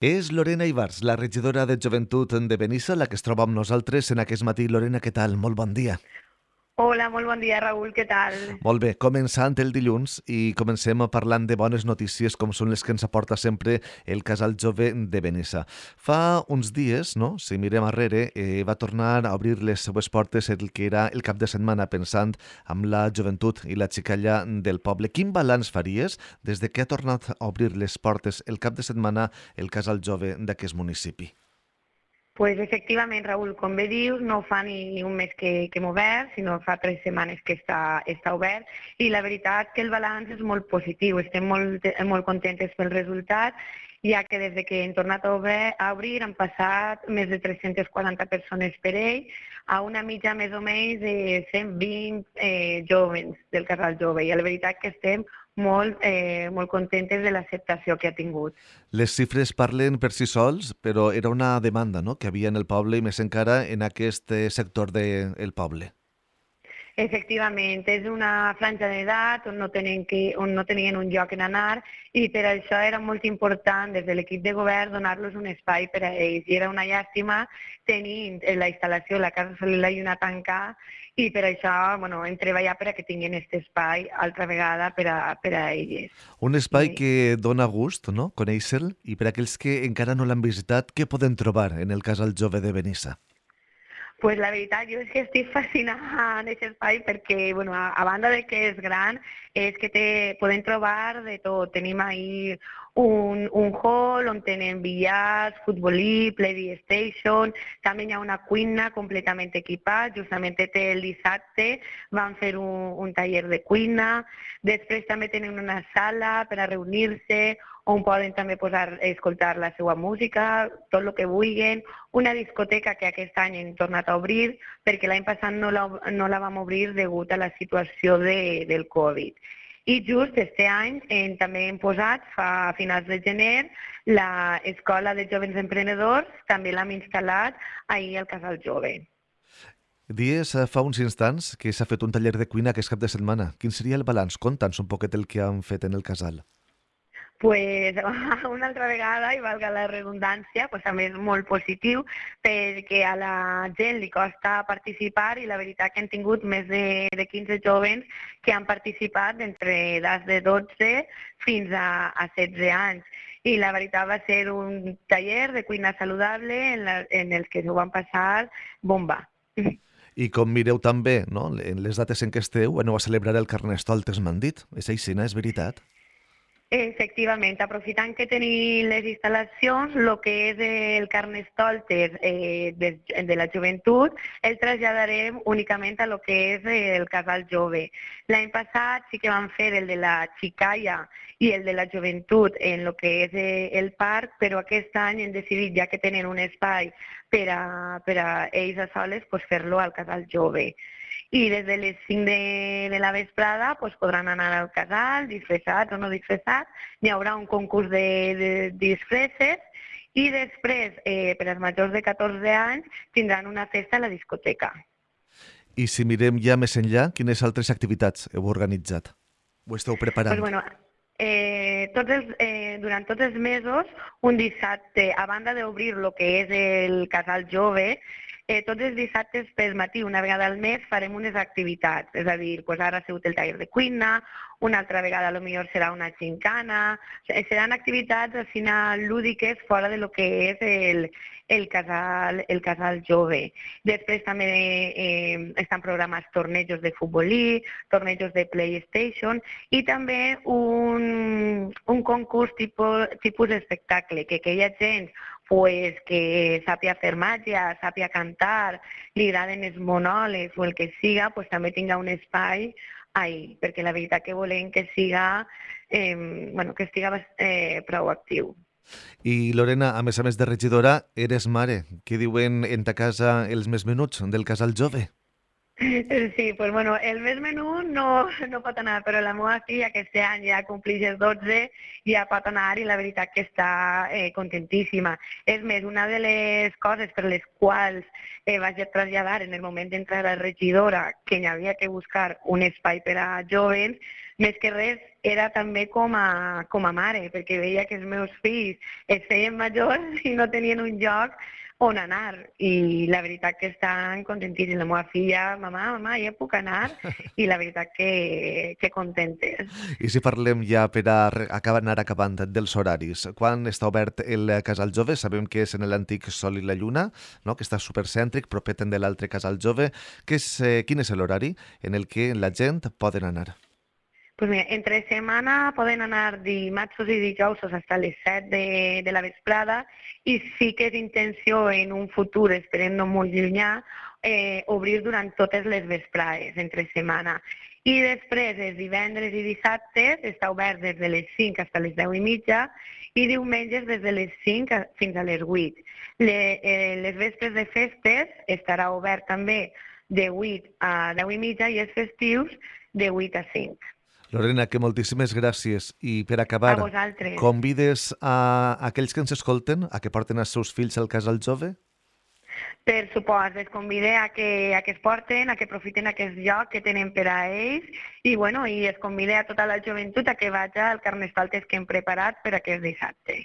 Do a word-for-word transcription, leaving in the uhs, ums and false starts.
És Lorena Ibars, la regidora de Joventut de Benissa, la que es troba amb nosaltres en aquest matí. Lorena, què tal? Molt bon dia. Hola, molt bon dia, Raül, què tal? Molt bé, començant el dilluns i comencem parlant de bones notícies com són les que ens aporta sempre el Casal Jove de Benissa. Fa uns dies, no? Si mirem arrere, eh, va tornar a obrir les seues portes el que era el cap de setmana pensant amb la joventut i la xicalla del poble. Quin balanç faries des de que ha tornat a obrir les portes el cap de setmana el Casal Jove d'aquest municipi? Pues efectivament, Raül, com bé dius, no fa ni un mes que, que hem obert, sinó fa tres setmanes que està, està obert, i la veritat que el balanç és molt positiu, estem molt, molt contentes pel resultat, ja que des de que hem tornat a, obrir, a obrir han passat més de tres-centes quaranta persones per ell, a una mitja més o menys de cent vint eh, jovens del Casal Jove, i la veritat que estem molt, eh, molt contentes de l'acceptació que ha tingut. Les xifres parlen per si sols, però era una demanda, no?, que havia en el poble i més encara en aquest eh, sector del de, poble. Efectivament, és una franja d'edat on, no tenen que, on no tenien un lloc en anar i per això era molt important des de l'equip de govern donar-los un espai per a ells. I era una llàstima tenint la instal·lació, la Casa Solí la Lluna tancada, i per això bueno, hem treballat per a que tinguin aquest espai altra vegada per a, per a elles. Un espai I... que dona gust, no?, conèixer-lo, i per a aquells que encara no l'han visitat, què poden trobar en el Casal Jove de Benissa? Pues la veritat, jo és que estic fascinada en aquest espai perquè, bueno, a, a banda de que és gran, és que te, podem trobar de tot. Tenim ahí un, un hall on tenen billars, futbolí, PlayStation, també hi ha una cuina completament equipada, justament el dissabte van fer un, un taller de cuina, després també tenen una sala per a reunir-se, on poden també posar, escoltar la seva música, tot el que vulguin, una discoteca que aquest any hem tornat a obrir, perquè l'any passat no la, no la vam obrir degut a la situació de, del Covid. I just este any hem, també hem posat, fa a finals de gener, l'Escola de Joves Emprenedors, també l'hem instal·lat ahir al Casal Jove. Dies fa uns instants que s'ha fet un taller de cuina aquest cap de setmana. Quin seria el balanç? Conta'ns un poquet el que han fet en el casal. Pues una altra vegada, i valga la redundància, pues també és molt positiu perquè a la gent li costa participar i la veritat que han tingut més de, de quinze jovens que han participat entre edats de dotze fins a, a setze anys. I la veritat va ser un taller de cuina saludable en, la, en el que s'ho van passar bomba. I com mireu també, no?, en les dates en què esteu, aneu a celebrar el Carnestoltes, m'han dit. És així, no? És veritat? Efectivament, aprofitant que tenim les instal·lacions, el que és el Carnestoltes eh, de, de la joventut el traslladarem únicament a lo que és el Casal Jove. L'any passat sí que vam fer el de la xicalla i el de la joventut en el que és el parc, però aquest any hem decidit, ja que tenen un espai per a, per a ells a soles, pues fer-lo al Casal Jove. I des de les cinc de, de la vesprada pues, podran anar al casal, disfressats o no disfressats, hi haurà un concurs de, de disfresses i després, eh, per als majors de catorze anys, tindran una festa a la discoteca. I si mirem ja més enllà, quines altres activitats heu organitzat? Ho esteu preparant? Pues, bueno, eh, tots els, eh, durant tots els mesos, un dissabte, a banda d'obrir el que és el Casal Jove, Eh, tots els dissabtes pel matí, una vegada al mes, farem unes activitats. És a dir, pues ara ha sigut el taller de cuina, una altra vegada potser serà una gincana, seran activitats al final lúdiques fora de lo que és el, el, casal, el casal jove. Després també eh, estan programats tornejos de futbolí, tornejos de PlayStation i també un, un concurs tipus, tipus espectacle, que aquella gent pues, que sàpia fer màgia, sàpia cantar, li agraden els monòlegs o el que siga, pues, també tinga un espai ahí, perquè la veritat que volem que siga, eh, bueno, que estiga eh, prou actiu. I Lorena, a més a més de regidora, eres mare. Què diuen en ta casa els més menuts del Casal Jove? Sí, pues bueno, el més menú no, no pot anar, però la meva filla aquest any ja complix els dotze, ja pot anar i la veritat que està eh, contentíssima. És més, una de les coses per les quals eh, vaig a traslladar en el moment d'entrar a la regidora que hi havia que buscar un espai per a jovens, més que res era també com a, com a mare, perquè veia que els meus fills es feien majors i no tenien un lloc on anar, i la veritat que estan contentíssims. La meva filla, mamà, mamà, ja puc anar, i la veritat que, que contentes. I si parlem ja per a re- acabar, anar acabant dels horaris, quan està obert el Casal Jove? Sabem que és en l'antic Sol i la Lluna, no? Que està supercèntric, proper de l'altre Casal Jove. Que és, eh, quin és l'horari en el que la gent poden anar? Pues mira, entre setmana poden anar dimarts i dijous fins a les set de, de la vesprada, i sí que és intenció en un futur, esperem no molt llunyà, eh, obrir durant totes les vesprades, entre setmana. I després, els divendres i dissabtes, està obert des de les cinc fins a les deu i mitja, i diumenges des de les cinc a- fins a les vuit. Le, eh, les vespres de festes estarà obert també de vuit a deu i mitja, i els festius de vuit a cinc. Lorena, que moltíssimes gràcies. I per A acabar, vosaltres. convides a aquells que ens escolten a que porten els seus fills al Casal Jove? Per supost, els convide a que, a que es porten, a que aprofiten aquest lloc que tenen per a ells, i, bueno, i es convide a tota la joventut a que vagi al carnestoltes que hem preparat per aquest dissabte.